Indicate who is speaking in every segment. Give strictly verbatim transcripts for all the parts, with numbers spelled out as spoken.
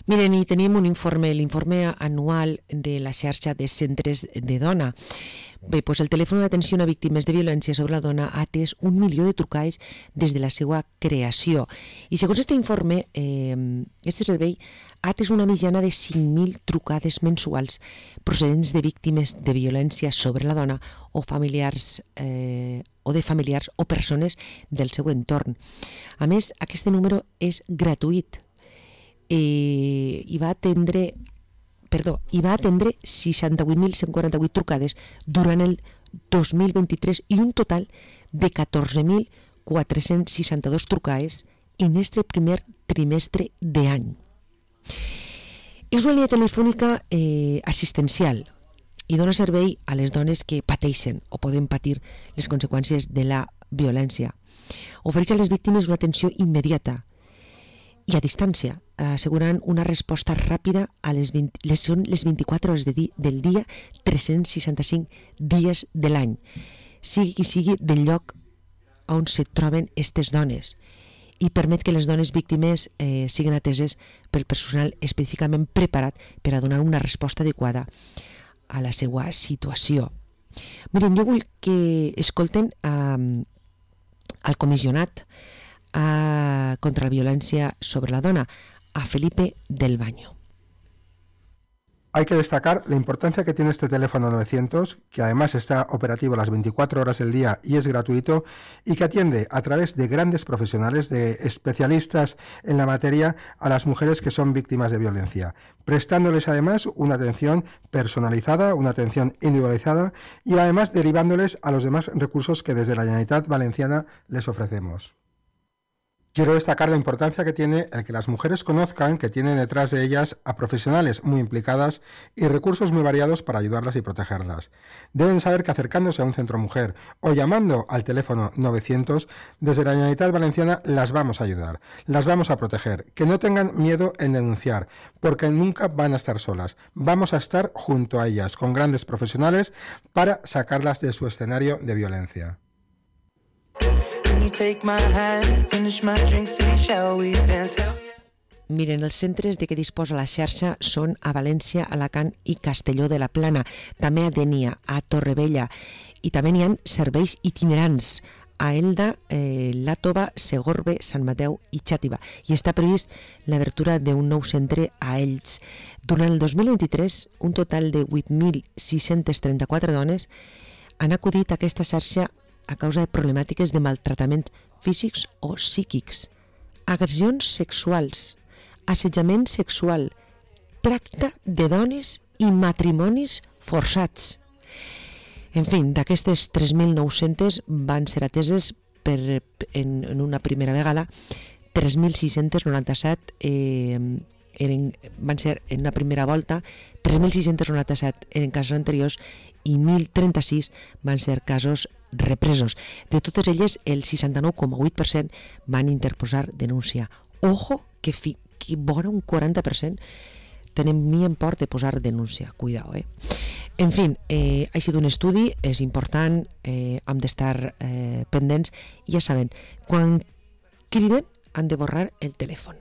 Speaker 1: Miren, i tenim un informe, l'informe anual de la xarxa de centres de dona. Bé, doncs el telèfon d'atenció a víctimes de violència sobre la dona ha atès un milió de trucades des de la seva creació. I segons aquest informe, eh, aquest servei ha atès una mitjana de cinc mil trucades mensuals procedents de víctimes de violència sobre la dona o familiars eh, o de familiars o persones del seu entorn. A més, aquest número és gratuït eh, i va atendre perdó, i va atendre seixanta-vuit mil cent quaranta-vuit trucades durant el dos mil vint-i-tres i un total de catorze mil quatre-cents seixanta-dos trucades en este primer trimestre d'any. És una línia telefònica eh, assistencial i dona servei a les dones que pateixen o poden patir les conseqüències de la violència. Ofereix a les víctimes una atenció immediata i a distància, assegurant una resposta ràpida a les, vint, les, són les vint-i-quatre hores de di, del dia, tres-cents seixanta-cinc dies de l'any, sigui qui sigui del lloc on se troben aquestes dones, i permet que les dones víctimes eh, siguin ateses pel personal específicament preparat per a donar una resposta adequada a la seva situació. Miren, jo vull que escolten eh, al comissionat a, contra la violència sobre la dona, a Felipe del Baño.
Speaker 2: Hay que destacar la importancia que tiene este teléfono novecientos, que además está operativo las veinticuatro horas del día y es gratuito, y que atiende a través de grandes profesionales, de especialistas en la materia, a las mujeres que son víctimas de violencia, prestándoles además una atención personalizada, una atención individualizada y además derivándoles a los demás recursos que desde la Generalitat Valenciana les ofrecemos. Quiero destacar la importancia que tiene el que las mujeres conozcan que tienen detrás de ellas a profesionales muy implicadas y recursos muy variados para ayudarlas y protegerlas. Deben saber que acercándose a un centro mujer o llamando al teléfono novecientos, desde la Generalitat Valenciana las vamos a ayudar, las vamos a proteger, que no tengan miedo en denunciar, porque nunca van a estar solas. Vamos a estar junto a ellas, con grandes profesionales, para sacarlas de su escenario de violencia.
Speaker 1: Miren, els centres de què disposa la xarxa són a València, Alacant i Castelló de la Plana, també a Dénia, a Torrevella, i també n'hi ha serveis itinerants a Elda, eh, Làtova, Segorbe, Sant Mateu i Xàtiva, i està previst l'obertura d'un nou centre a Elx. Durant el dos mil vint-i-tres, un total de vuit mil sis-cents trenta-quatre dones han acudit a aquesta xarxa a causa de problemàtiques de maltractaments físics o psíquics, agressions sexuals, assetjament sexual, tracte de dones i matrimonis forçats. En fi, d'aquestes tres mil nou-cents van ser ateses per, en, en una primera vegada, tres mil sis-cents noranta-set eh, eren, van ser en una primera volta, tres mil sis-cents noranta-set eren casos anteriors i mil trenta-sis van ser casos represos. De totes elles, el seixanta-nou coma vuit per cent van interposar denúncia. Ojo, que, fi, que vora un quaranta per cent tenen ni en port de posar denúncia. Cuidao, eh? En fi, eh, ha sigut un estudi, és important, eh, hem d'estar eh, pendents, i ja saben, quan criden han de borrar el telèfon.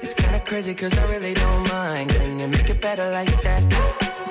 Speaker 1: It's kind of crazy 'cause I really don't mind. Can you make it better like that?